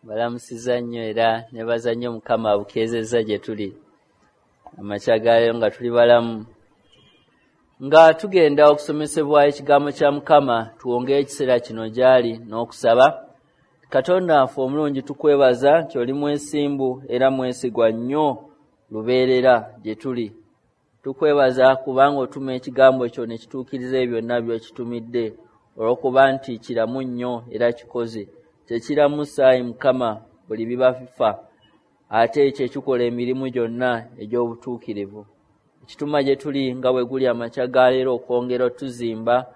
Balamusiza nnyo era nebaza nnyo Mukama abukeezezza gye tuli amakya ga leero nga tuli balamu, nga tugenda okusomesebwa ekigambo kya Mukama. Tuwongeyo ekiseera kino gy'ali n'okusaba. Katonda waffe omulungi, tukwebaza nti oli mwesimbu era mwesigwa nnyo lubeerera gye tuli. Tukwebaza kubanga otuma ekigambo kyo ne kituukiriza ebyo byonna by'okitumidde, olw'okuba nti kiramu nnyo era kikoze. Kyekiramusa ayi Mukama buli biba bifa, ate kyekikola emirimu gyonna egy'obutuukirivu. Ekituma gye tuli nga bwe guli amakya ga leero okwongera otuzimba,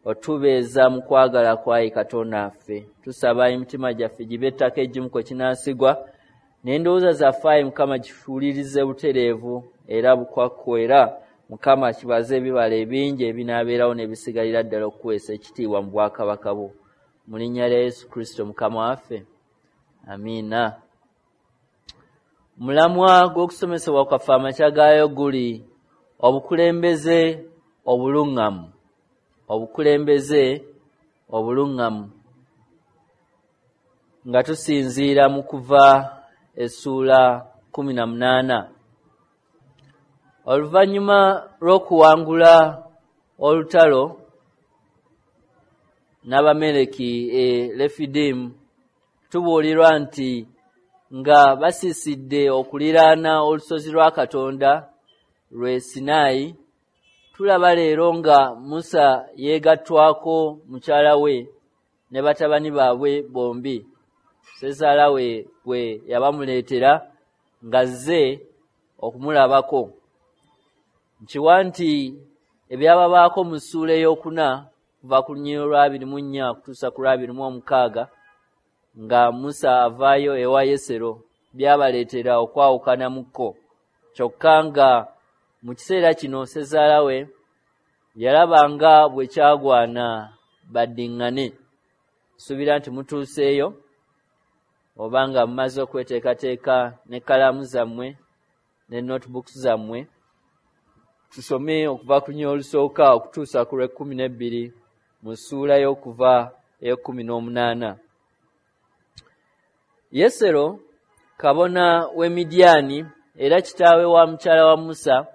otubeeza mu kwagala kwayi Katonda waffe. Tusaba emitima gyaffe gibe ettaka eggimu kwe kinaasigwa, n'endowooza zaffe ayi Mukama gifuulirize butereevu era bukwakku, era Mukama kibaze ebibala ebingi ebinaabeerawo n'ebisigalira ddala okuweesa ekitiibwa mu bwakabaka bwo. Mu linnya lya Yesu Kristo Mukama waffe, amiina. Mulamwa gw'okusomesebwa kwaffe amakya gaayo guli obukulembeze obuluŋŋamu. Obukulembeze obuluŋŋamu, nga tusinziira mu Kuva essuula 18. Oluvannyuma lw'okuwangula olutalo n'Abameleki e Lefidimu, tubuulirwa nti nga basiisidde okuliraana olusozi lwa Katonda lwe Sinaayi, tulaba leero nga Musa yeegattwako mukyala we ne batabani baabwe bombi, ssezaala we gwe yabamuleetera ng'azze okumulabako. Nkiwa nti ebyababaako mu ssuula ey'okuna kuva ku lunyiriri lwa 24 okutuusa ku lwa 26, nga Musa avaayo ewa Yesero, byabaleetera okwawukana mu kko. Kyokka nga mu kiseera kino ssezaala we yalaba nga bwe kyagwana baddiŋŋane. Nsuubira nti mutuuseeyo, oba nga mumaze okweteekateeka n'ekkalaamu zammwe ne notebooks zammwe. Tusome okuva ku lunyiriri olusooka okutuusa ku lw'ekkumi n'ebbiri mu ssuula y'Okuva ey'ekkumi n'omunaana. Yesero kabona w'e Midiyaani era kitaawe wa mukyala wa Musa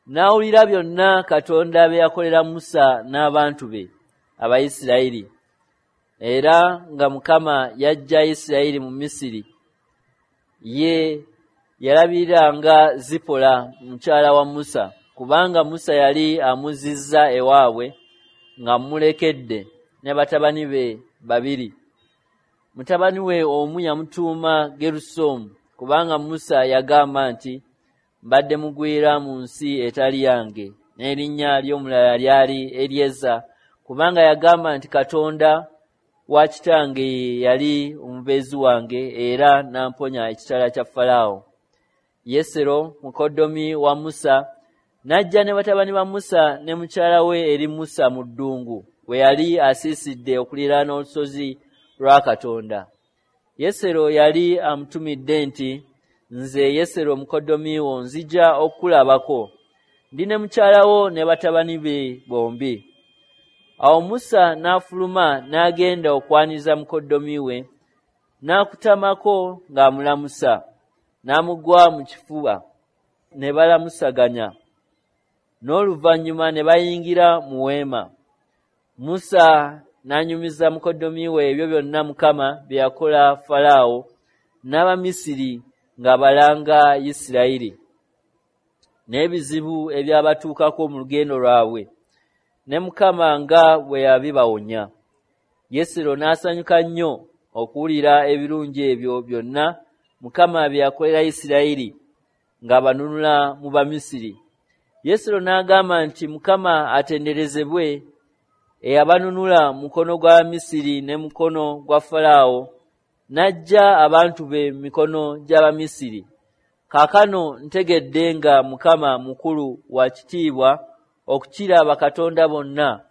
n'awulira byonna Katonda bye yakolera Musa n'abantu be Abayisirayiri, era nga Mukama yaggya Isirayiri mu Misiri. Ye yalabiriranga Zipola mukyala wa Musa, kubanga Musa yali amuzzizza ewaabwe ng'amulekedde ne batabani be babiri. Mutabani we omu yamutuuma Gerusomu, kubanga Musa yagamba nti, mbadde mugwira mu nsi etali yange, n'erinnya ly'omulala lyali Eryeza, kubanga yagamba nti Katonda wa kitange ye yali omubeezi wange era n'amponya ekitala kya Falaawo. Yesero mukoddomi wa Musa n'ajja ne batabani ba Musa ne mukyala we eri Musa mu ddungu we yali asiisidde okuliraana olusozi lwa Katonda. Yesero yali amutumidde nti, nze Yesero mukoddomi wo nzija okukulabako, ndi ne mukyala wo ne batabani be bombi. Awo Musa n'afuluma n'agenda okwaniriza mukoddomi we, n'akutamako ng'amulamusa, n'amugwa mu kifuba, ne balamusaganya. N'oluvannyuma ne bayingira mu weema. Musa n'anyumiza mukoddomi we ebyo byonna Mukama bye yakola Falaawo n'Abamisiri ng'abalanga Isirayiri, n'ebizibu ebyabatuukako mu lugendo lwabwe, ne Mukama nga bwe yabibawonya. Yesero n'asanyuka nnyo okuwulira ebirungi ebyo byonna Mukama bye yakolera Isirayiri ng'abanunula mu Bamisiri. Yesero n'agamba nti, Mukama atenderezebwe eyabanunula mu mukono gwa Misiri ne mukono gwa Falaawo, n'aggya abantu be mu mikono gy'Abamisiri. Kaakano ntegedde nga Mukama mukulu wa kitiibwa okukira bakatonda bonna,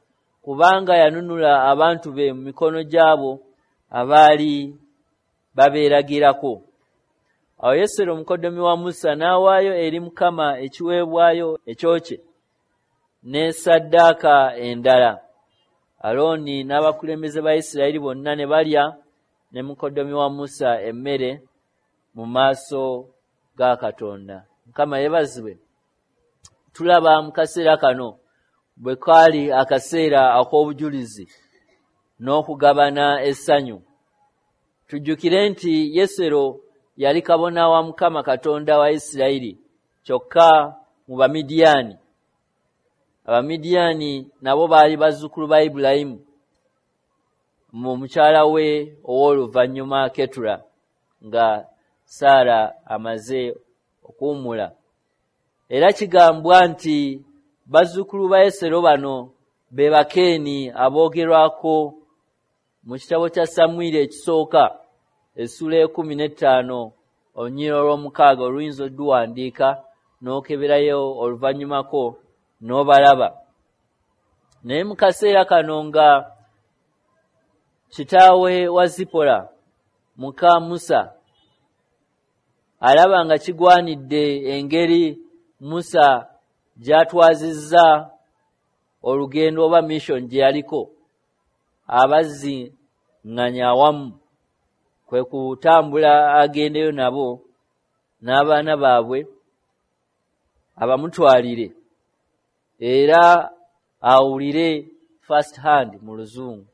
kubanga yanunula abantu be mu mikono gy'abo abaali babeeragirako. Awo Yesero mukoddomi wa Musa n'awaayo eri Mukama ekiweebwayo ekyokye ne ssaddaaka endala. Alooni n'abakulembeze ba Isirayiri bonna ne balya ne mukoddomi wa Musa emmere mu maaso ga Katonda. Mukama yeebazibwe. Tulaba mu kaseera kano bwe kaali akaseera ak'obujulizi n'okugabana essanyu. Tujjukire nti Yesero yali kabona wa Mukama Katonda wa Isirayiri, kyokka mu Bamidiyaani. Abamidiyaani nabo baali bazzukulu ba Ibulayimu mu mukyala we ow'oluvannyuma Ketura, nga Saara amaze okuwummula. Era kigambwa nti bazzukulu ba Yesero bano be Bakeeni aboogerwako mu kitabo kya Samwiri ekisooka essula 15 olunyiriri olw'omukaaga, oluyinza odduwandiika n'okeberayo oluvannyumako n'obalaba. Naye mu kaseera kano nga kitaawe wa Zipola muka Musa alaba nga kigwanidde engeri Musa gy'atwazizza olugendo oba mission gye yaliko, abazziŋŋanya awamu kwe kutambula agendeyo nabo n'abaana baabwe abamutwalire era awulire first hand mu Luzungu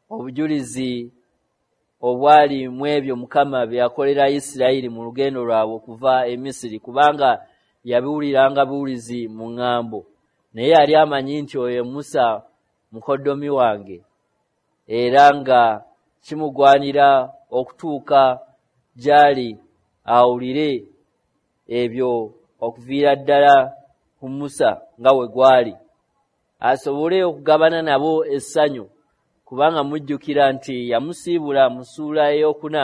obujulizi obwali mu ebyo Mukama bye yakolera Isirayiri mu lugendo lwabwe okuva e Misiri, kubanga yabiwuliranga buwulizi mu ŋŋambo, naye yali amanyi nti oyo Musa mukoddomi wange, era nga kimugwanira okutuuka gy'ali awulire ebyo okuviira ddala ku Musa nga bwe gwali, asobole okugabana nabo essanyu, kubanga mujjukira nti yamusiibula mu ssuula ey'okuna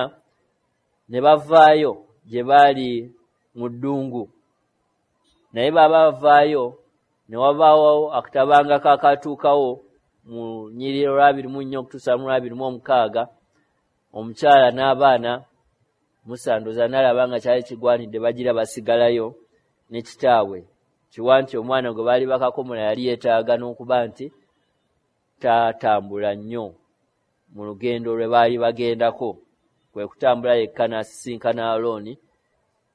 ne bavaayo gye baali mu ddungu. Naye baba bavaayo ne wabaawo akatabanga kakatuukawo mu nnyiriri olwa 24 okutuusa mu 26, omukyala n'abaana Musa ndowooza n'alaba nga kyali kigwanidde bagira basigalayo ne kitaabwe, kiwa nti omwana gwe baali bakakomola yali yeetaaga n'okuba nti tatambula nnyo mu lugendo lwe baali bagendako, kwe kutambula yekka n'asisinkana Alooni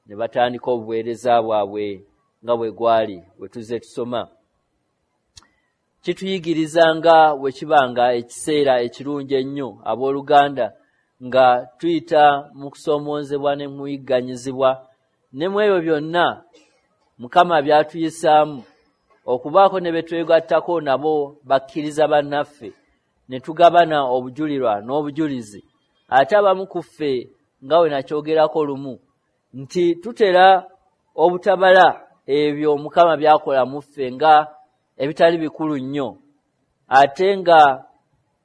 ne batandika obuweereza bwabwe nga bwe gwali bwe tuzze tusoma. Kituyigiriza nga bwe kibanga ekiseera ekirungi ennyo abooluganda nga tuyita mu kusoomoozebwa ne muyigganyizibwa, ne mu ebyo byonna Mukama by'atuyisaamu okubaako ne be twegattako nabo bakkiriza bannaffe ne tugabana obujulirwa n'obujulizi. Ate abamu ku ffe nga bwe nakyogerako lumu nti tutera obutabala ebyo Mukama by'akola mu ffe nga ebitali bikulu nnyo, ate nga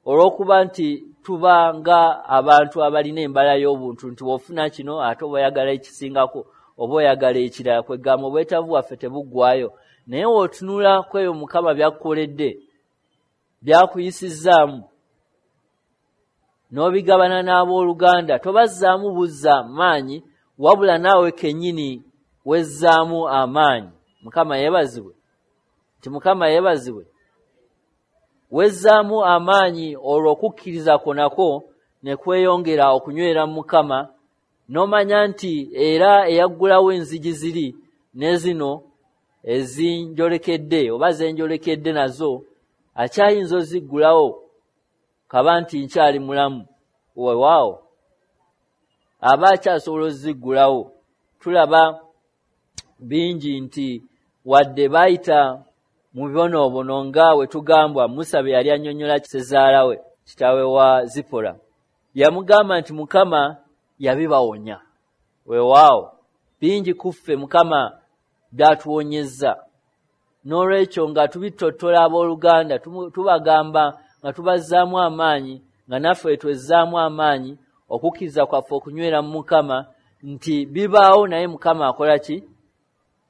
olw'okuba nti tuba nga abantu abalina embala y'obuntu nti w'ofuna kino ate oba oyagala ekisingako oba oyagala ekirala, kwegamba obwetaavu bwaffe tebuggwaayo. Naye w'otunula ku ebyo Mukama by'akukoledde, by'akuyisizzaamu n'obigabana n'abooluganda, tobazzaamu buzza maanyi, wabula naawe kennyini wezzaamu amaanyi. Mukama yeebazibwe. Nti Mukama yeebazibwe. Wezzaamu amaanyi olwo okukkiriza kwo nako ne kweyongera okunywera mu Mukama, n'omanya nti era eyaggulawo enzigi ziri ne zino ezinjolekedde oba zenjolekedde nazo akyayinza oziggulawo kaba nti nkyali mulamu, weewaawo aba akyasobola oziggulawo. Tulaba bingi nti wadde baayita mu bibonoobono nga we tugambwa Musa bye yali annyonnyola ssezaala we kitaawe wa Zipora, yamugamba nti Mukama yabibawonya. Weewaawo bingi ku ffe Mukama by'atuwonyezza. N'olwekyo nga tubittottola abooluganda, tubagamba nga tubazzaamu amaanyi, nga naffe twezzaamu amaanyi okukkiriza kwaffe okunywera mu Mukama nti bibaawo, naye Mukama akola ki?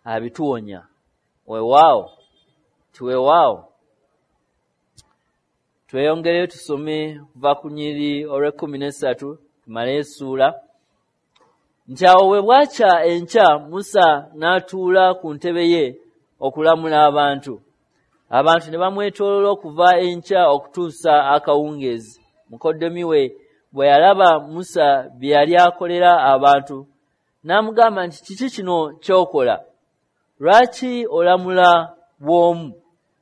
Abituwonya. Weewaawo nti weewaawo. Tweyongereyo tusome kuva ku nnyiriri olw'ekkumi n'essatu tumale essuula. Nti awo bwe bwakya enkya, Musa n'atuula ku ntebe ye okulamula abantu. Abantu ne bamwetooloola okuva enkya okutuusa akawungeezi. Mukoddomi we bwe yalaba Musa bye yali akolera abantu, n'amugamba nti, "Kiki kino ky'okola? Lwaki olamula bw'omu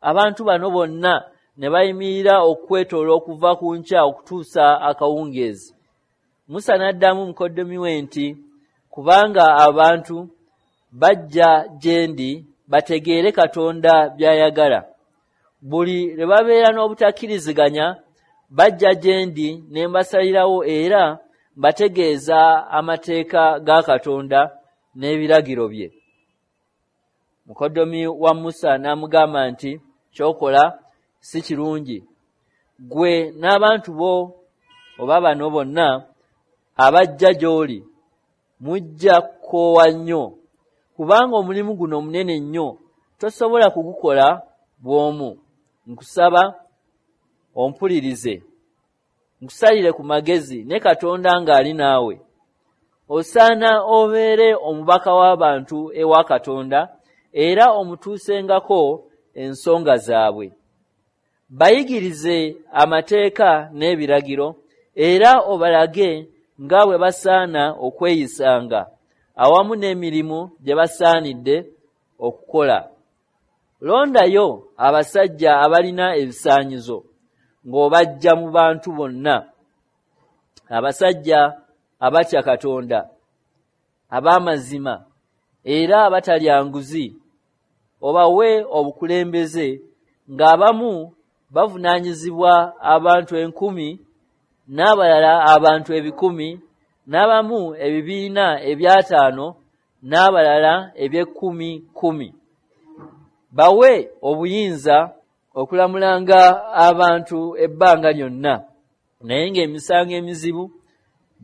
abantu bano bonna ne bayimirira okwetoola okuva ku nkya okutuusa akawungeezi?" Musa n'addamu mukoddomi we nti, "Kubanga abantu bajja gye ndi bategeere Katonda by'ayagala. Buli lwe babeera n'obutakkiriziganya bajja gye ndi ne mbasalirawo era mbategeeza amateeka ga Katonda n'ebiragiro bye." Mukoddomi wa Musa n'amugamba nti, "Ky'okola si kirungi. Ggwe n'abantu bo oba bano bonna abajja gy'oli mujja kukoowa nnyo, kubanga omulimu guno munene nnyo, tosobola kugukola bw'omu. Nkusaba ompulirize, nkusalire ku magezi ne Katonda ng'ali naawe. Osaana obeere omubaka w'abantu ewa Katonda era omutuusengako ensonga zaabwe. Bayigirize amateeka n'ebiragiro era obalage nga bwe basaana okweyisanga awamu n'emirimu gye basaanidde okukola. Londayo abasajja abalina ebisaanyizo ng'obajja mu bantu bonna, abasajja abatya Katonda, ab'amazima era abatalya nguzi, obawe obukulembeze ng'abamu bavunaanyizibwa abantu 1,000, n'abalala abantu 100, n'abamu ebibiina 500, n'abalala 10,000. Bawe obuyinza okulamulanga abantu ebbanga lyonna, naye ng'emisango emizibu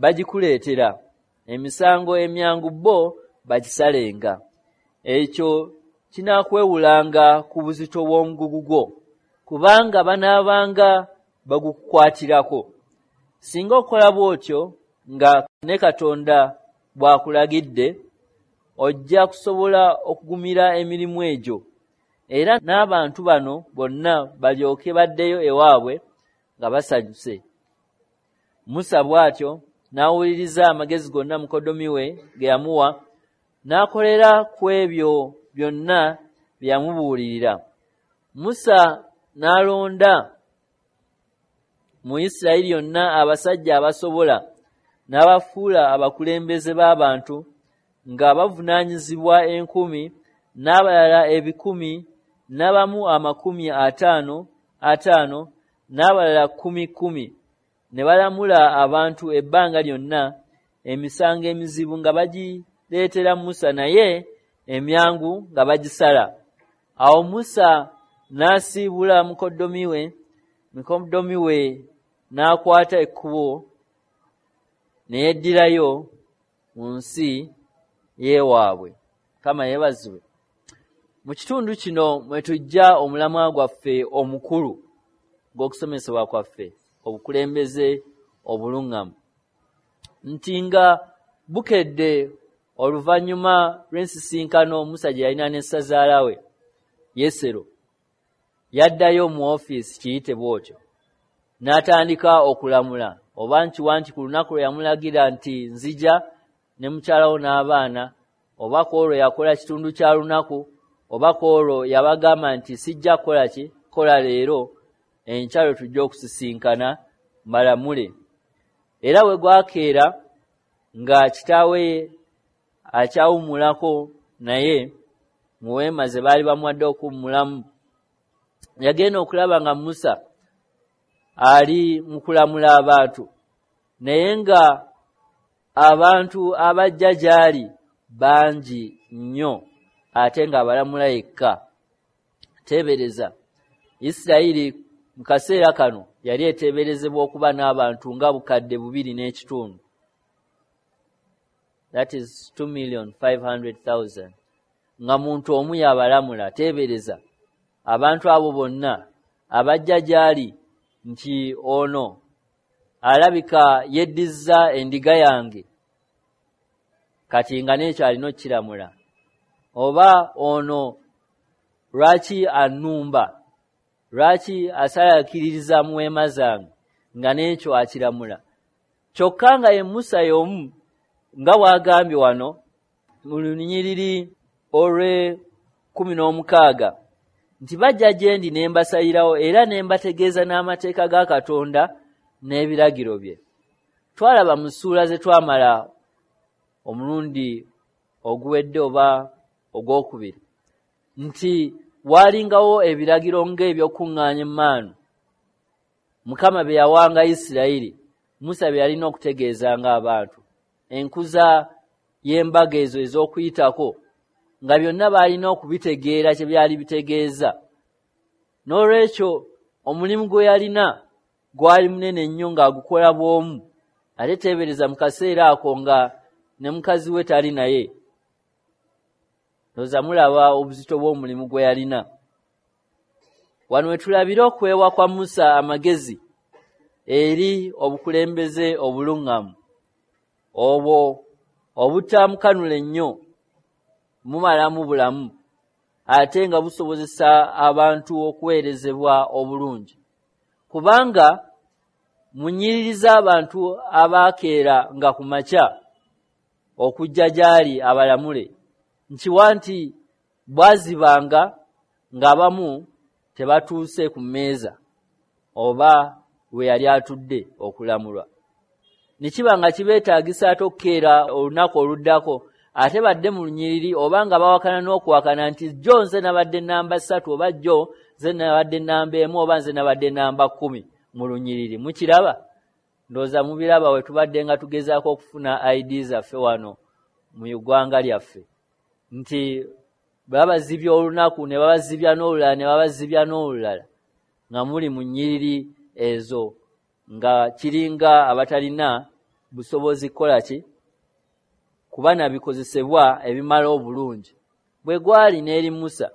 bagikuleetera, emisango emyangu bo bagisalenga. Ekyo kinaakwewulanga ku buzito bw'omugugu gwo, kubanga banaabanga bagukukwatirako. Singa okola bw'otyo nga ne Katonda bw'akulagidde, ojja kusobola okugumira emirimu egyo, era n'abantu bano bonna balyoke baddeyo ewaabwe nga basanyuse." Musa bw'atyo n'awuliriza amagezi gonna mukoddomi we ge yamuwa, n'akolera ku ebyo byonna bye yamubuulirira. Musa n'alonda mu Isirayiri yonna abasajja abasobola, n'abafuula abakulembeze b'abantu nga bavunaanyizibwa 1,000, n'abalala 100, n'abamu 50 50, n'abalala 10 10, ne balamula abantu ebbanga lyonna, emisango emizibu nga bagireetera Musa, naye emyangu nga bagisala. Awo Musa n'asiibula mukoddomi we n'akwata ekkubo ne yeddirayo mu nsi y'ewaabwe. Mukama yeebazibwe. Mu kitundu kino mwe tujja omulamwa gwaffe omukulu gw'okusomesebwa kwaffe, obukulembeze obuluŋŋamu. Nti nga bukedde oluvannyuma lw'ensisinkano Musa gye yalina ne ssazaala we Yesero, yaddayo mu ofiisi, kiyite bw'otyo, n'atandika okulamula. Oba nkiwa nti ku lunaku lwe yamulagira nti nzija ne mukyalawo n'abaana, oba ku olwo yakola kitundu kya lunaku, oba ku olwo yabagamba nti sijja kukola ki, kola leero, enkya lwe tujja okusisinkana mbalamule. Era bwe gwakeera nga kitaawe akyawummulako naye mu weema ze baali bamuwadde okuwummulamu, yagenda okulaba nga Musa ali mu kulamula abantu, naye nga abantu abajja gy'ali bangi nnyo, ate ng'abalamula yekka. Teebereza, Isirayiri mu kaseera kano yali eteeberezebwa okuba n'abantu nga 2,500,000. That is 2,500,000. Nga muntu omu y'abalamula. Teebereza abantu abo bonna abajja gy'ali nti ono alabika yeddizza endiga yange, kati nga n'ekyo alina okkiramula, oba ono lwaki annumba, lwaki asalaakiririza mu weema zange, nga n'ekyo akiramula. Kyokka nga ye Musa y'omu, nga bw'agambye wano mu lunyiriri olw'e16 nti bajja gye ndi ne mbasalirawo era ne mbategeeza n'amateeka ga Katonda n'ebiragiro bye. Twalaba mu ssuula ze twamala omulundi oguwedde oba ogwokubiri nti waalingawo ebiragiro ng'ebyokuŋŋaanya emmaanu Mukama bye yawanga Isirayiri, Musa bye yalina okutegeezanga abantu, enkuza y'embaga ezo ez'okuyitako, nga byonna baalina okubitegeera kye byali bitegeeza. N'olwekyo omulimu gwe yalina gwali munene nnyo ng'agukola bw'omu, ate teebereza mu kaseera ako nga ne mukazi we tali naye. Ndowooza mulaba obuzito bw'omulimu gwe yalina. Wano we tulabira okwewa kwa Musa amagezi eri obukulembeze obuluŋŋamu, obwo obutamukanula ennyo mumalamu bulamu, ate nga busobozesa abantu okuweerezebwa obulungi. Kubanga mu nnyiriri z'abantu abaakeera nga ku makya okujja gy'ali abalamule, nkiwa nti bwazibanga ng'abamu tebatuuse ku mmeeza oba we yali atudde okulamulwa. Ne kiba nga kibeetaagisa ate okukeera olunaku oluddako ate badde mu lunyiriri, oba nga bawakana n'okuwakana nti jjo nze nabadde namba 3, oba jjo nze nabadde namba 1, oba nze nabadde namba 10 mu lunyiriri. Mukiraba? Ndowooza mubiraba we tubadde nga tugezaako okufuna ID zaffe wano mu ggwanga lyaffe, nti babazibya olunaku ne babazibya n'olulala ne babazibya n'olulala, nga muli mu nnyiriri ezo nga kiringa abatalina busobozi kukola ki kuba nabikozesebwa ebimala obulungi. Bwe gwali n'eri Musa.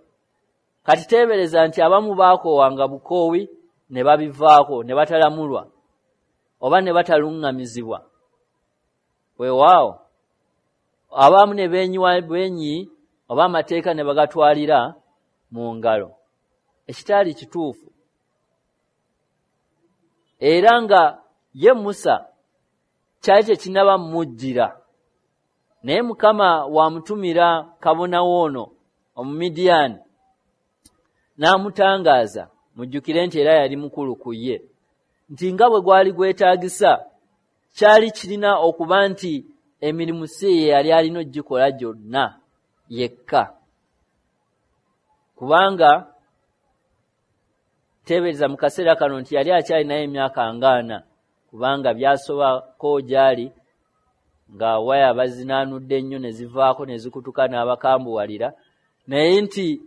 Kati teebereza nti abamu baakoowanga bukoowi ne babivaako ne batalamulwa oba ne bataluŋŋamizibwa. Weewaawo abamu ne beenyiwa bwenyi oba amateeka ne bagatwalira mu ngalo, ekitaali kituufu. Era nga ye Musa kyali tekinnaba mujjira, naye Mukama wamutumira kabona w'ono Omumidiyaani n'amutangaaza. Mujjukire nti era yali mukulu ku ye, nti nga bwe gwali gwetaagisa kyali kirina okuba nti emirimu si ye yali alina okugikola gyonna yekka, kubanga teebereza mu kaseera kano nti yali akyalinayo emyaka nga 40, kubanga byasobako gy'ali nga waya bazinaanudde nnyo ne zivaako ne zikutuka n'abakambuwalira, naye nti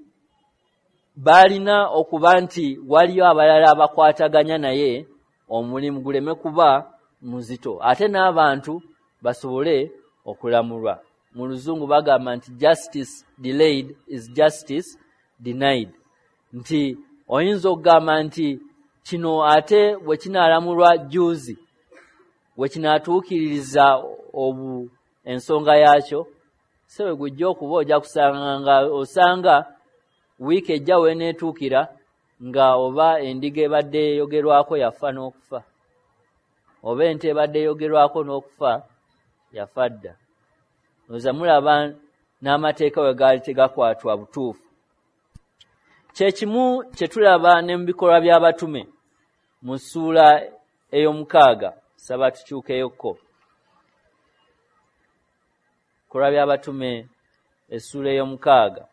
baalina okuba nti waliyo abalala abakwataganya naye omulimu guleme kuba muzito, ate n'abantu basobole okulamulwa. Mu luzungu bagamba nti justice delayed is justice denied, nti oyinza okugamba nti kino ate bwe kinaalamulwa jjuuzi bwe kinaatuukiririza ensonga yaakyo, se bwe gujja okuba ojja kusanga nga osanga wiiki ejja w'eneetuukira nga oba endiga ebadde eyogerwako yafa n'okufa, oba ente ebadde eyogerwako n'okufa yafa dda. Ndowooza mulaba n'amateeka we gaali tegakwatwa butuufu. Kye kimu kye tulaba ne mu bikolwa by'abatume mu ssuula ey'omukaaga. Saba tukyukeyokko. Bikolwa by'abatume essuula ey'omukaaga.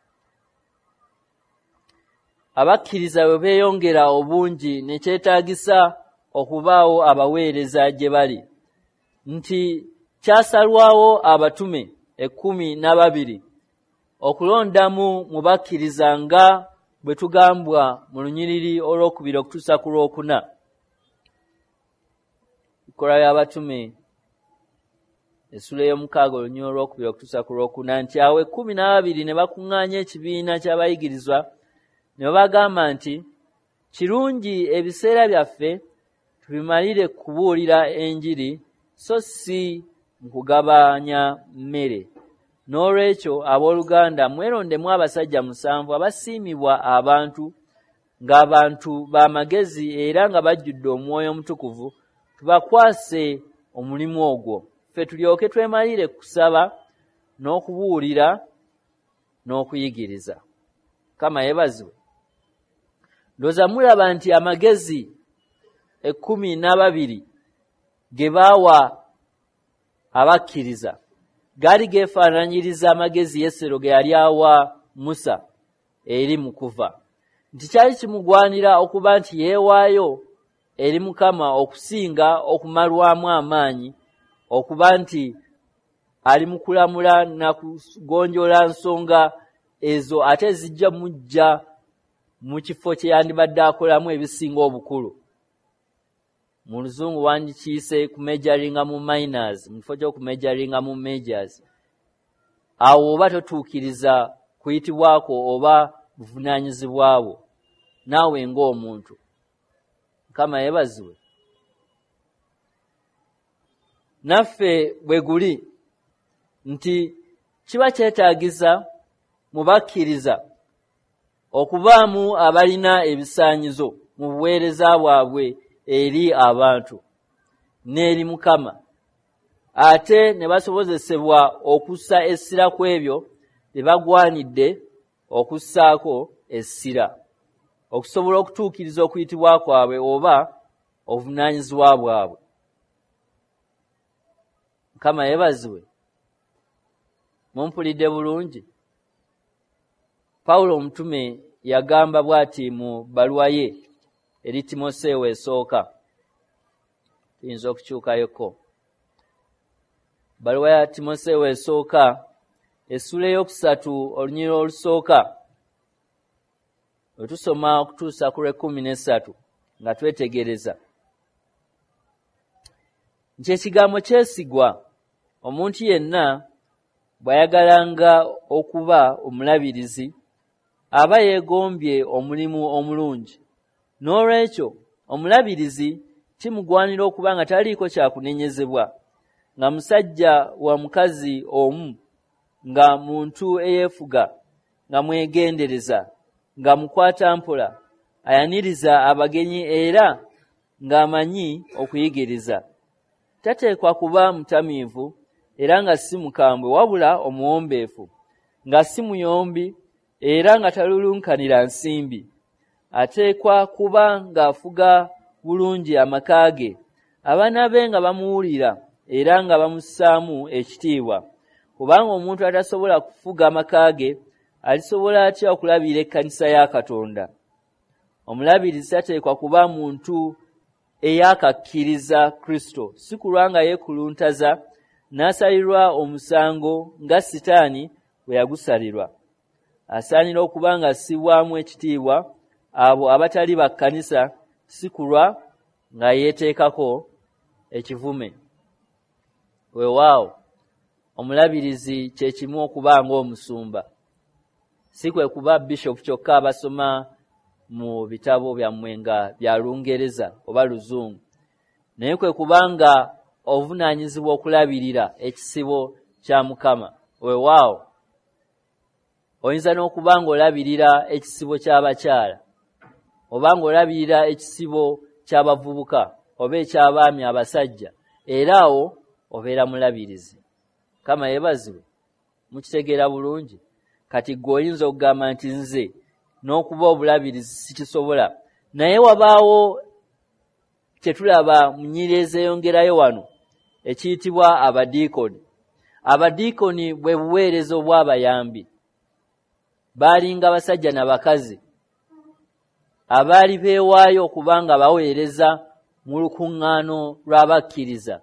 Abakkiriza bwe beeyongera obungi ne kyetaagisa okubaawo abaweereza gye bali, nti kyasalwawo abatume 12 okulondamu mu bakkiriza nga bwe tugambwa mu lunyiriri olwokubiri okutuusa ku lwokuna. Bikolwa by'abatume essuula ey'omukaaga olunyiriri olwokubiri okutuusa ku lwokuna, nti awo 12 ne bakuŋŋaanya ekibiina ky'abayigirizwa ne babagamba nti kirungi ebiseera byaffe tubimalire kubuulira enjiri so si mu kugabanya mmere. N'olwekyo abooluganda mwerondemu abasajja 7 abasiimibwa abantu, ng'abantu b'amagezi era nga bajjudde omwoyo omutukuvu, Tubakwase omulimu ogwo, ffe tulyoke twemalire kusaba n'okubuulira n'okuyigiriza. Mukama yeebazibwe. Ndowooza mulaba nti amagezi 12 ge baawa abakkiriza gaali geefaananyiriza amagezi Yesero ge yali awa Musa eri mu kuva, nti kyali kimugwanira okuba nti yeewaayo eri Mukama okusinga okumalwamu amaanyi, okuba nti ali mu kulamula na kugonjoola nsonga ezo ate zijja mujja mu kifo kye yandibadde akolamu ebisinga obukulu. Mu Luzungu wandikiyise kumejaringa mu minors mu kifo ky'okumejaringa mu majors. Awo oba totuukiriza kuyitibwako oba buvunaanyizibwa bwo naawe ng'omuntu. Mukama yeebazibwe. Naffe bwe guli nti kiba kyetaagisa mu bakkiriza okubaamu abalina ebisaanyizo mu buweereza bwabwe eri abantu n'eri Mukama, ate ne basobozesebwa okussa essira ku ebyo bye bagwanidde okussaako essira, okusobola okutuukiriza okuyitibwa kwabwe oba obuvunaanyizibwa bwabwe. Mukama yeebazibwe. Mumpulidde bulungi? Pawulo omutume yagamba bw'ati mu bbaluwa ye eri Timoseewo esooka. Tuyinza okukyukayoko. Bbaluwa ya Timoseewo esooka essula 3 olunyiriri olusooka we tusoma okutuusa ku lw'e13 nga twetegereza nti ekigambo kyesigwa, omuntu yenna bw'ayagalanga okuba omulabirizi aba yeegombye omulimu omulungi. N'olwekyo omulabirizi kimugwanira okuba nga taliiko kyakunenyezebwa, nga musajja wa mukazi omu, nga muntu eyeefuga, nga mwegendereza, nga mukwatampola, ayaniriza abagenyi era ng'amanyi okuyigiriza. Tateekwa kuba mutamiivu era nga si mukambwe, wabula omuwombeefu, nga si muyombi era nga talulunkanira nsimbi. Ateekwa kuba ng'afuga bulungi amaka ge, abaana be nga bamuwulira era nga bamussaamu ekitiibwa. Kubanga omuntu atasobola kufuga amaka ge alisobola atya okulabirira ekkanisa ya Katonda? Omulabirizi tateekwa kuba muntu eyakakkiriza Kristo, si kulwa nga yeekuluntaza n'asalirwa omusango nga Sitaani bwe yagusalirwa. Asaanira okuba nga assibwamu ekitiibwa abo abatali ba kkanisa, si kulwa nga yeeteekako ekivume. Weewaawo, omulabirizi kye kimu okuba ng'omusumba, si kwe kuba bishopu kyokka abasoma mu bitabo byammwe nga bya Lungereza oba Luzungu, naye kwe kuba nga ovunaanyizibwa okulabirira ekisibo kya Mukama. Weewaawo, oyinza n'okuba ng'olabirira ekisibo ky'abakyala, oba ng'olabirira ekisibo ky'abavubuka oba eky'abaami abasajja, era awo obeera mulabirizi. Mukama yeebazibwe. Mukitegeera bulungi? Kati ggwe oyinza okugamba nti nze n'okuba obulabirizi sikisobola, naye wabaawo kye tulaba mu nnyiriri ezeeyongerayo wano ekiyitibwa abadiikoni. Abadiikoni bwe buweereza obw'abayambi. Baalinga basajja na bakazi abaali beewaayo okuba nga baweereza mu lukuŋŋaano lw'abakkiriza,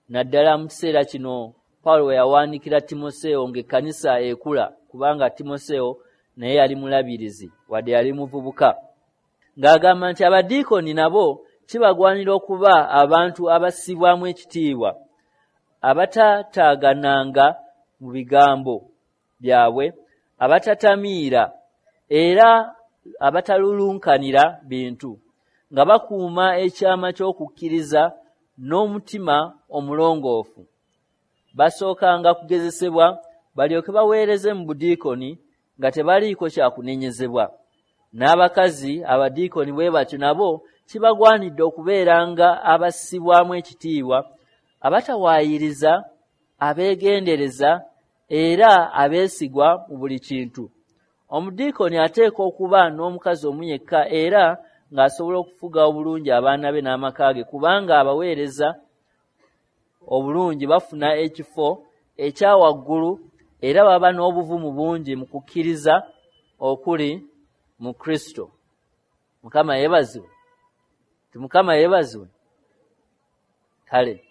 naddala mu kiseera kino Pawulo we yawandiikira Timoseewo ng'ekkanisa ekula, kubanga Timoseewo naye yali mulabirizi wadde yali muvubuka, ng'agamba nti abadiikoni nabo kibagwanira okuba abantu abassibwamu ekitiibwa, abatataagananga mu bigambo byabwe, abatatamiira era abatalulunkanira bintu, nga bakuuma ekyama ky'okukkiriza n'omutima omulongoofu. Basookanga kugezesebwa balyoke baweereze mu budiikoni nga tebaliiko kyakunenyezebwa. N'abakazi abadiikoni bwe batyo nabo kibagwanidde okubeeranga abassibwamu ekitiibwa, abatawaayiriza, abeegendereza era abeesigwa mu buli kintu. Omudiikoni ateekwa okuba n'omukazi omu yekka era ng'asobola okufuga obulungi abaana be n'amaka ge, kubanga abaweereza obulungi bafuna ekifo ekya waggulu era baba n'obuvumu bungi mu kukkiriza okuli mu Kristo. Mukama yeebazibwe. Mukama yeebazibwe. Kale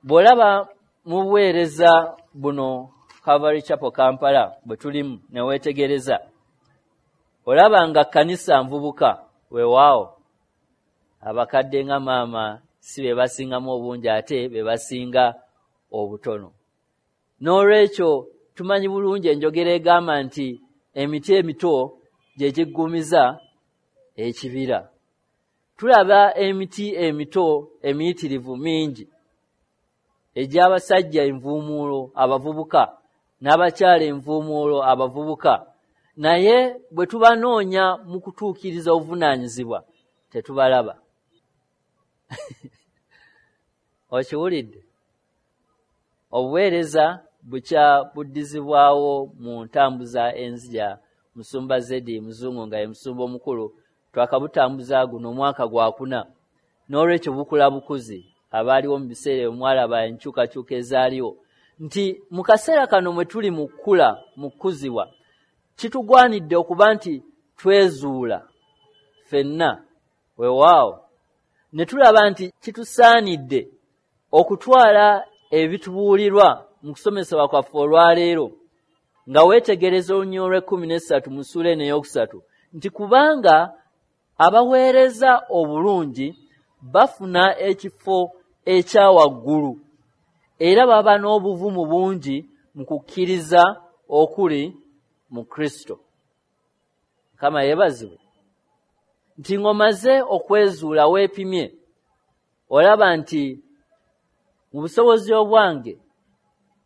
bw'olaba mu buweereza buno Calvary Chapel Kampala bwe tulimu ne weetegereza, olaba nga kkanisa nvubuka, weewaawo abakadde nga maama si be basingamu obungi ate be basinga obutono. N'olwekyo tumanyi bulungi enjogera egamba nti emiti emito gye giggumiza ekibira. Tulaba emiti emito emiyitirivu mingi egy'abasajja envuumuulo abavubuka n'abakyala envuumuulo abavubuka, naye bwe tubanoonya mu kutuukiriza obuvunaanyizibwa tetubalaba. Okiwulidde? Obuweereza bukya buddizibwawo mu ntambuza enzija Musumba Zedi Muzungu nga ye musumba omukulu, twakabutambuza guno omwaka gwakuna. N'olwekyo bukula bukuzi. Abaaliwo mu biseera ebyo mwalaba enkyukakyuka ezaaliwo, nti mu kaseera kano mwe tuli mu kkula, mu kkuzibwa, kitugwanidde okuba nti twezuula ffenna, weewaawo, ne tulaba nti kitusaanidde okutwala ebitubuulirwa mu kusomesebwa kwaffe olwaleero, nga weetegereza olunyiriri olw'ekkumi n'essatu mu ssuula eno ey'okusatu, nti kubanga abaweereza obulungi bafuna ekifo ekya waggulu era baba n'obuvumu bungi mu kukkiriza okuli mu Kristo. Mukama yeebazibwe. Nti ng'omaze okwezuula weepimye, olaba nti mu busobozi obwange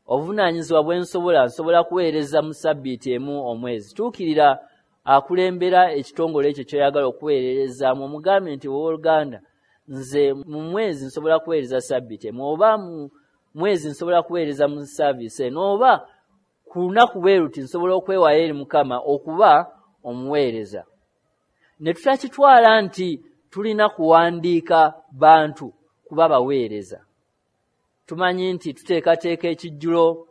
obuvunaanyizibwa bwe nsobola, nsobola kuweereza mu ssabbiiti emu omwezi. Tuukirira akulembera ekitongole ekyo ky'oyagala okuweererezaamu, omugambe nti owooluganda, nze mu mwezi nsobola kuweereza ssabbiiti emu, oba mu mwezi nsobola kuweereza mu saaviisi eno, oba ku lunaku bwe luti nsobola okwewaayo eri Mukama okuba omuweereza. Ne tutakitwala nti tulina kuwandiika bantu kuba baweereza. Tumanyi nti tuteekateeka ekijjulo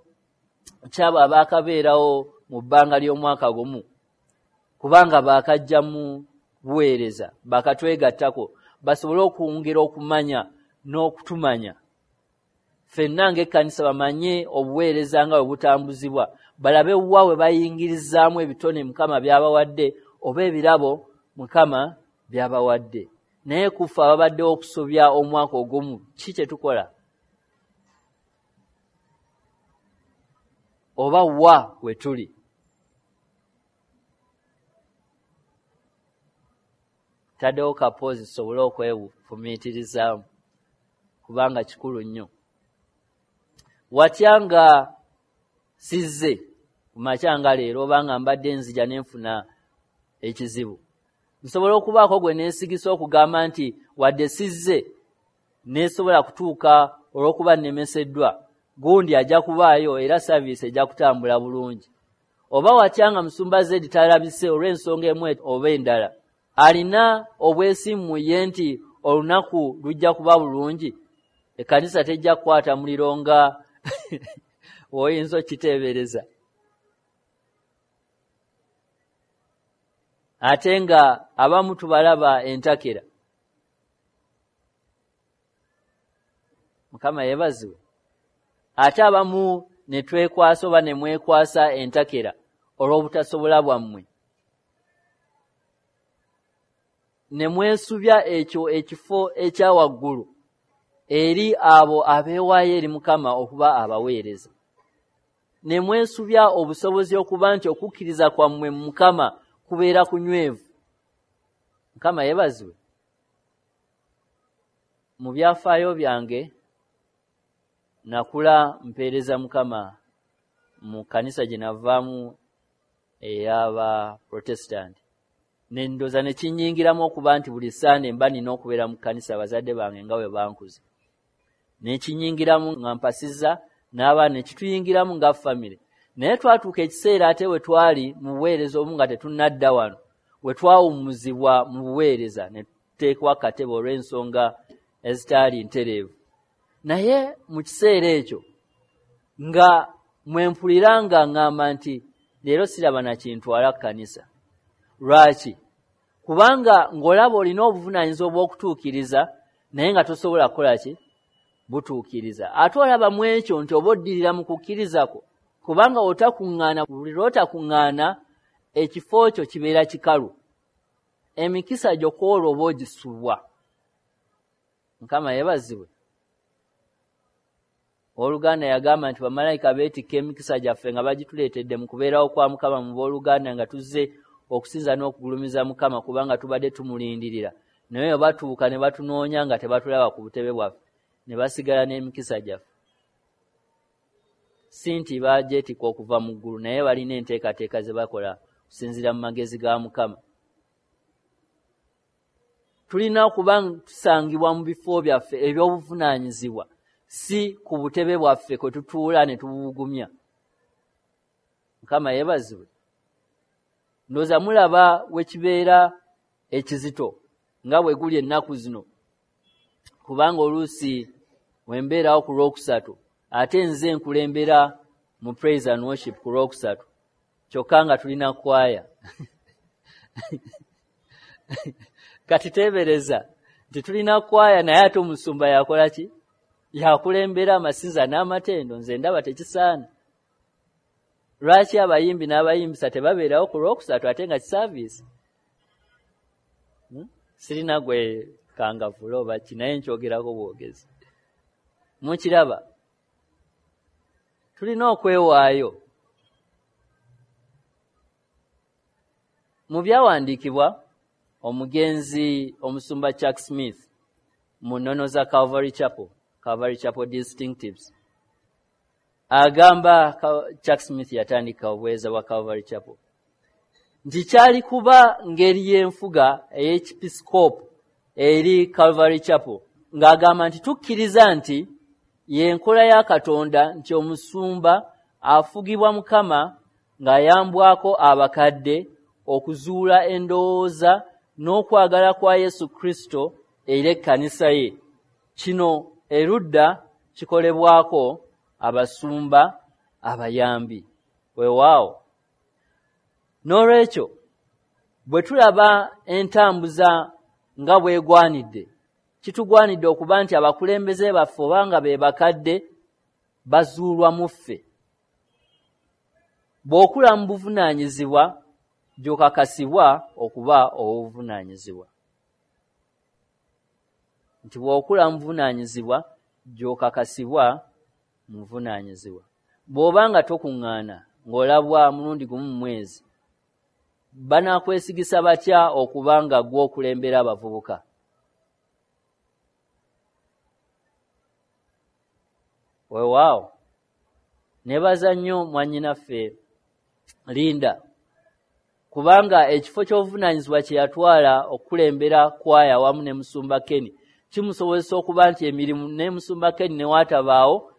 ky'abo abaakabeerawo mu bbanga ly'omwaka gumu, kubanga baakajja mu buweereza, baakatwegattako, basobole okwongera okumanya n'okutumanya. Ffenna ng'ekkanisa bamanye obuweereza nga bwe butambuzibwa, balabe wa we bayingirizaamu ebitone Mukama by'abawadde oba ebirabo Mukama by'abawadde. Naye ku ffe ababaddewo okusobya omwaka ogumu, ki kye tukola? Oba wa we tuli? Taddewo kapoozi tusobole okwefumiitirizaamu, kubanga kikulu nnyo. Watya nga sizze ku makya nga leero, oba nga mbadde nzija ne nfuna ekizibu, nsobola okubaako gwe neesigisa okugamba nti wadde sizze neesobola kutuuka olw'okuba nnemeseddwa, gundi ajja kubaayo era saaviisi ejja kutambula bulungi. Oba watya nga Musumba Zedi talabise olw'ensonga emu oba endala, alina obwesimbu mu ye nti olunaku lujja kuba bulungi, ekkanisa tejja kukwata muliro nga w'oyinza okukiteebereza. Ate nga abamu tubalaba entakera. Mukama yeebazibwe. Ate abamu ne twekwasa oba ne mwekwasa entakera olw'obutasobola bwammwe, ne mwesubya ekyo ekifo ekya waggulu eri abo abeewaayo eri Mukama okuba abaweereza, ne mwesubya obusobozi okuba nti okukkiriza kwammwe mu Mukama kubeera kunywevu. Mukama yeebazibwe. Mu byafaayo byange nakula mpeereza Mukama mu kkanisa gye navaamu ey'aba Protestant. Nendooza ne kinnyingiramu okuba nti buli Ssande mba nina okubeera mu kkanisa bazadde bange nga bwe bankuza. Ne kinnyingiramu nga mpasizza n'abaana, ne kituyingiramu nga famire. Naye twatuuka ekiseera ate we twali mu buweereza obu nga tetunnadda wano, we twawummuzibwa mu buweereza ne tuteekwa akatebe olw'ensonga ezitaali ntereevu. Naye mu kiseera ekyo nga mwe mpulira nga ŋŋamba nti leero siraba na kintwala kkanisa. Lwaki? Kubanga ng'olaba olina obuvunaanyizibwa obw'okutuukiriza naye nga tosobola kukola ki? Butuukiriza. Ate olaba mu ekyo nti oba oddirira mu kukkiriza kwo, kubanga otakuŋŋaana, buli lw'otakuŋŋaana ekifo kyo kibeera kikalu. Emikisa gyo kw'olwo oba ogisubwa. Mukama yeebazibwe. Owooluganda yagamba nti bamalayika beetikka emikisa gyaffe nga bagituleetedde mu kubeerawo kwa Mukama mu booluganda nga tuzze okusinza n'okugulumiza Mukama kubanga tubadde tumulindirira. Naye bwe batuuka ne batunoonya nga tebatulaba ku butebe bwaffe, ne basigala n'emikisa gyaffe. Si nti bagyetikka okuva mu ggulu, naye balina enteekateeka ze bakola okusinziira mu magezi ga Mukama. Tulina okuba tusangibwa mu bifo byaffe eby'obuvunaanyizibwa, si ku butebe bwaffe kwe tutuula ne tubugumya. Mukama yeebazibwe. Ndowooza mulaba we kibeera ekizito nga bwe guli ennaku zino, kubanga oluusi we mbeerawo ku Lwokusatu ate nze nkulembera mu praise and worship ku Lwokusatu, kyokka nga tulina kwaya. Kati teebereza nti tulina kwaya naye ate omusumba yakola ki? Yakulembera amasinza n'amatendo. Nze ndaba tekisaana. Lwaki abayimbi n'abayimbisa tebabeerawo ku Lwokusatu ate nga kisaaviisi? Sirina gwe kangavula oba ki, naye nkyogerako bwogezi. Mukiraba, tulina okwewaayo. Mu byawandiikibwa omugenzi omusumba Chuck Smith mu nnono za Calvary Chapel, Calvary Chapel Distinctives, agamba Chuck Smith yatandika obuweereza bwa Calvary Chapel nti kyali kuba ngeri y'enfuga ey'ekipisikoopu eri Calvary Chapel, ng'agamba nti tukkiriza nti y'enkola ya Katonda nti omusumba afugibwa Mukama ng'ayambwako abakadde okuzuula endowooza n'okwagala kwa Yesu Kristo eri ekkanisa ye. Kino erudda kikolebwako abasumba abayambi. Weewaawo. N'olwekyo bwe tulaba entambuza nga bw'egwanidde, kitugwanidde okuba nti abakulembeze baffe oba nga be bakadde bazuulwa mu ffe. Bw'okula mu buvunaanyizibwa gy'okakasibwa okuba ow'obuvunaanyizibwa. Nti bw'okula mu buvunaanyizibwa gy'okakasibwa mu buvunaanyizibwa. Bw'oba nga tokuŋŋaana ng'olabwa mulundi gumu mu mwezi, banakwesigisa batya okuba nga ggwe okulembera abavubuka? Weewaawo, neebaza nnyo mwannyinaffe Linda, kubanga ekifo ky'obuvunaanyizibwa kye yatwala okukulembera kwaya wamu ne Musumba Kenny kimusobozesa okuba nti emirimu ne Musumba Kenny ne watabaawo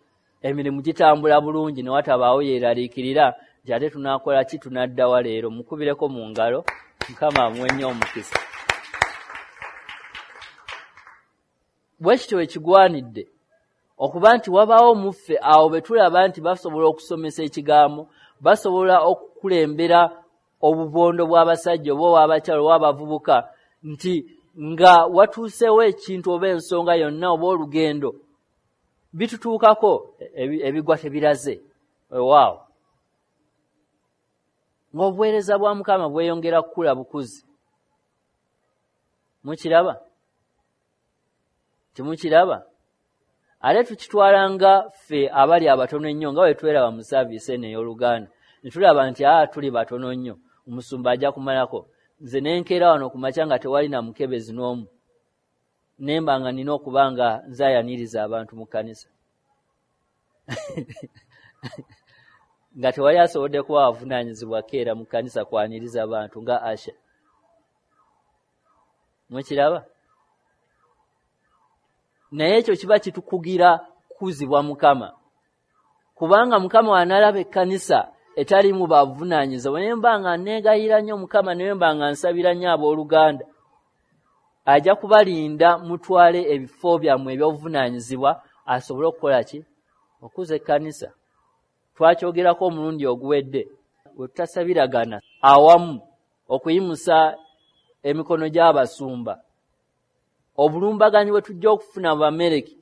emirimu gitambula bulungi, ne watabaawo yeeraliikirira nti ate tunaakola ki, tunadda wa leero. Mukubireko mu ngalo, Mukama amuwe nnyo omukisa. Bwe kityo bwe kigwanidde okuba nti wabaawo mu ffe awo be tulaba nti basobola okusomesa ekigambo, basobola okukulembera obubondo bw'abasajja oba obw'abakyala oba abavubuka, nti nga watuuseewo ekintu oba ensonga yonna oba olugendo bitutuukako ebigwa tebiraze. Weewaawo, ng'obuweereza bwa Mukama bweyongera kukula bukuzi. Mukiraba? Timukiraba? Ate tukitwala nga ffe abali abatono ennyo, nga bwe tweraba mu saaviisi eno ey'Oluganda, ne tulaba nti tuli batono nnyo, omusumba ajja kumalako. Nze ne nkeera wano ku makya nga tewali na mukebezi n'omu, ne mba nga nnina okuba nga nze ayaniriza abantu mu kkanisa. Nga tewali asobodde kuba avunaanyizibwa keera mu kkanisa kwaniriza bantu nga Asha. Mukiraba? Naye ekyo kiba kitukugira kukuzibwa Mukama, kubanga Mukama wanalaba ekkanisa etalimu bavunaanyizibwa. Naye mba nga neegayira nnyo Mukama, naye mba nga nsabira nnyo abooluganda, ajja kubalinda mutwale ebifo byammwe eby'obuvunaanyizibwa asobole okukola ki? Okuza ekkanisa. Twakyogerako omulundi oguwedde, bwe tutasabiragana awamu okuyimusa emikono gy'abasumba, obulumbaganyi bwe tujja okufuna mu Bamereki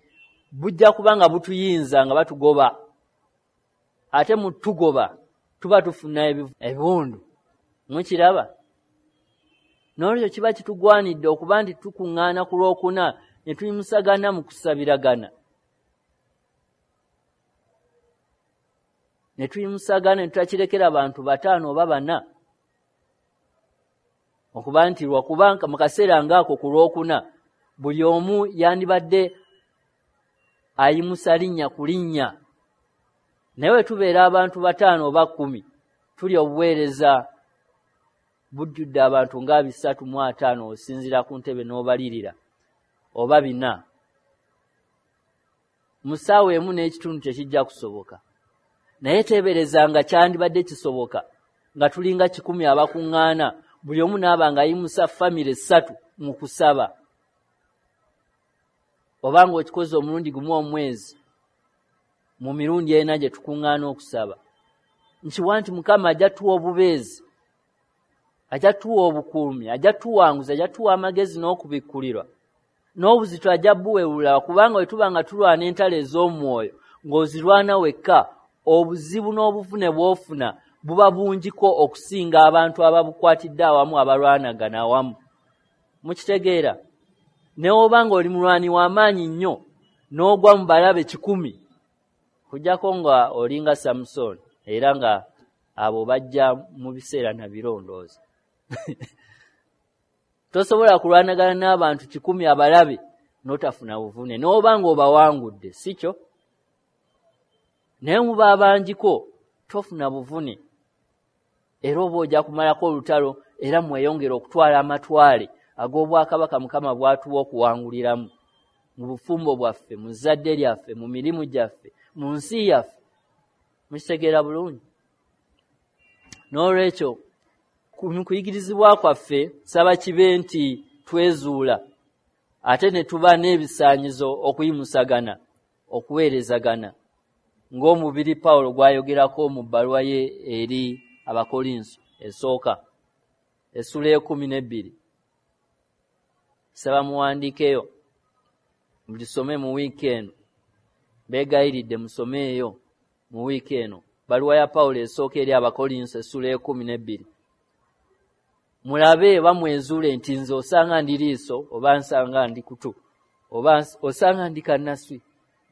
bujja kuba nga butuyinza nga batugoba. Ate mu tugoba tuba tufuna ebiwundu. Mukiraba? N'olwekyo kiba kitugwanidde okuba nti tukuŋŋaana ku Lwokuna ne tuyimusagana mu kusabiragana, ne tuyimusagana ne tutakirekera bantu 5 oba 4, okuba nti lwakuba mu kaseera ng'ako ku Lwokuna buli omu yandibadde ayimusa linnya ku linnya. Naye bwe tubeera abantu 5 oba 10, tuli obuweereza bujjudde abantu nga 350 osinziira ku ntebe n'obalirira oba 4. Mu ssaawa 1.5 tekijja kusoboka. Naye teebereza nga kyandibadde kisoboka nga tulinga 100 abakuŋŋaana, buli omu n'aba ng'ayimusa famire 3 mu kusaba, oba ng'okikoze omulundi gumu omwezi mu mirundi 4 gye tukuŋŋaana okusaba. Nkiwa nti Mukama ajja tuwa obubeezi, ajja tuwa obukuumi, ajja tuwanguza, ajja tuwa amagezi n'okubikkulirwa, n'obuzito ajja buwewula, kubanga bwe tuba nga tulwana entalo ez'omwoyo ng'ozirwana wekka, obuzibu n'obuvune bw'ofuna buba bungiko okusinga abantu ababukwatidde awamu, abalwanagana awamu. Mukitegeera? Ne oba ng'oli mulwani w'amaanyi nnyo n'ogwa mu balabe 100, kujjako nga olinga Samusoni, era nga abo bajja mu biseera na birondooza. Tosobola kulwanagana n'abantu 100 abalabe n'otafuna buvune, n'oba ng'obawangudde, si kyo? Naye muba abangiko tofuna buvune, era oba ojja kumalako olutalo, era mweyongere okutwala amatwale ag'obwakabaka Mukama bw'atuwa okuwanguliramu mu bufumbo bwaffe, mu zzadde lyaffe, mu mirimu gyaffe, mu nsi yaffe. Mukitegeera bulungi? N'olwekyo mu kuyigirizibwa kwaffe saba kibe nti twezuula, ate ne tuba n'ebisaanyizo okuyimusagana, okuweerezagana, ng'omubiri Pawulo gw'ayogerako mu bbaluwa ye eri Abakolinso esooka essula 12. Saba muwandiikeyo, mugisome mu wiiki eno. Beegayiridde musomeeyo mu wiiki eno bbaluwa ya Pawulo esooka eri Abakolinso essula 12. Mulabe oba mwezuule nti nze osanga ndi liiso, oba nsanga ndi kutu, oba osanga ndi kannaswi.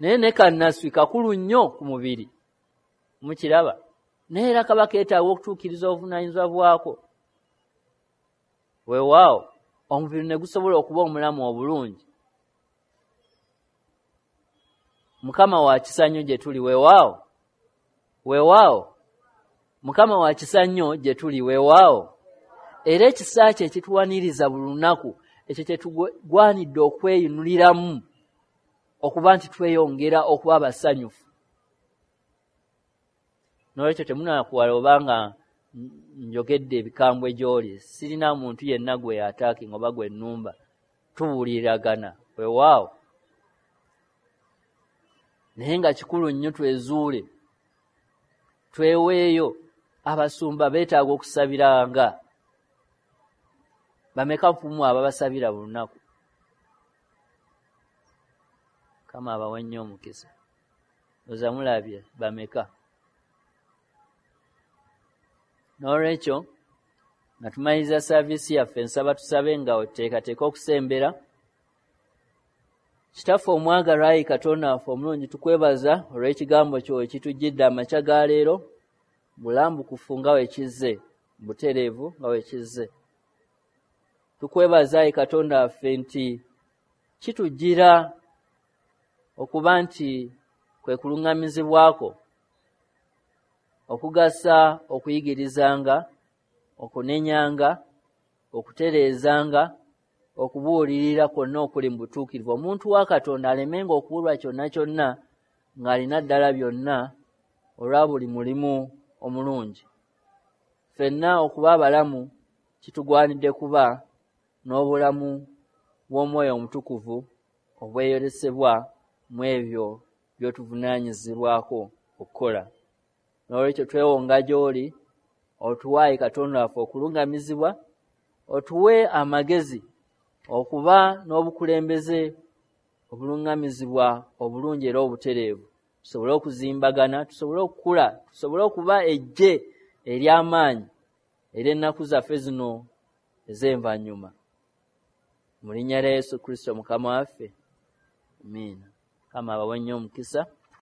Naye ne kannaswi kakulu nnyo ku mubiri. Mukiraba? Naye era kaba keetaaga okutuukiriza obuvunaanyizibwa bwako. Weewaawo omubiri ne gusobola okuba omulamu obulungi. Mukama wa kisa nnyo gye tuli, weewaawo. Weewaawo. Mukama wa kisa nnyo gye tuli, weewaawo. Era ekisa kye kituwaniriza buli lunaku, ekyo kye tugwanidde okweyinuliramu okuba nti tweyongera okuba abasanyufu. N'olwekyo temunakuwala obanga njogedde ebikambwe gy'oli, sirina muntu yenna gwe attacking oba gwe nnumba, tubuuliragana, weewaawo. Naye nga kikulu nnyo twezuule, tweweeyo. Abasumba beetaaga okusabiranga. Bameka ku mmwe ababasabira buli lunaku? Mukama abawe nnyo omukisa. Oza mulabye bameka? N'olwekyo nga tumaliriza saaviisi yaffe, nsaba tusabe nga oteekateeka okusembera. Kitaffe omwagalwa, ayi Katonda waffe omulungi, tukwebaza olw'ekigambo kyo ekitujjidde amakya ga leero, bulambukufu nga bwe kizze, butereevu nga bwe kizze. Tukwebaza ayi Katonda waffe nti kitujjira okuba nti kwe kuluŋŋamizibwako okugasa okuyigirizanga, okunenyanga, okutereezanga, Okubuulirira kwonna okuli mu butuukirivu, omuntu wa Katonda alemenga okubulwa kyonna kyonna, ng'alina ddala byonna olwa buli mulimu omulungi. Ffenna okuba abalamu kitugwanidde kuba n'obulamu bw'Omwoyo Omutukuvu obweyolesebwa mu ebyo by'otuvunaanyizibwako okukola. N'olwekyo twewonga gy'oli, otuwe Katonda waffe okuluŋŋamizibwa, otuwe amagezi okuba n'obukulembeze obuluŋŋamizibwa obulungi era obutereevu, tusobole okuzimbagana, tusobole okukula, tusobole okuba eggye ery'amaanyi ery'ennaku zaffe zino ez'envannyuma. Mu linnya lya Yesu Kristo Mukama waffe, amiina. Mukama abawe nnyo omukisa.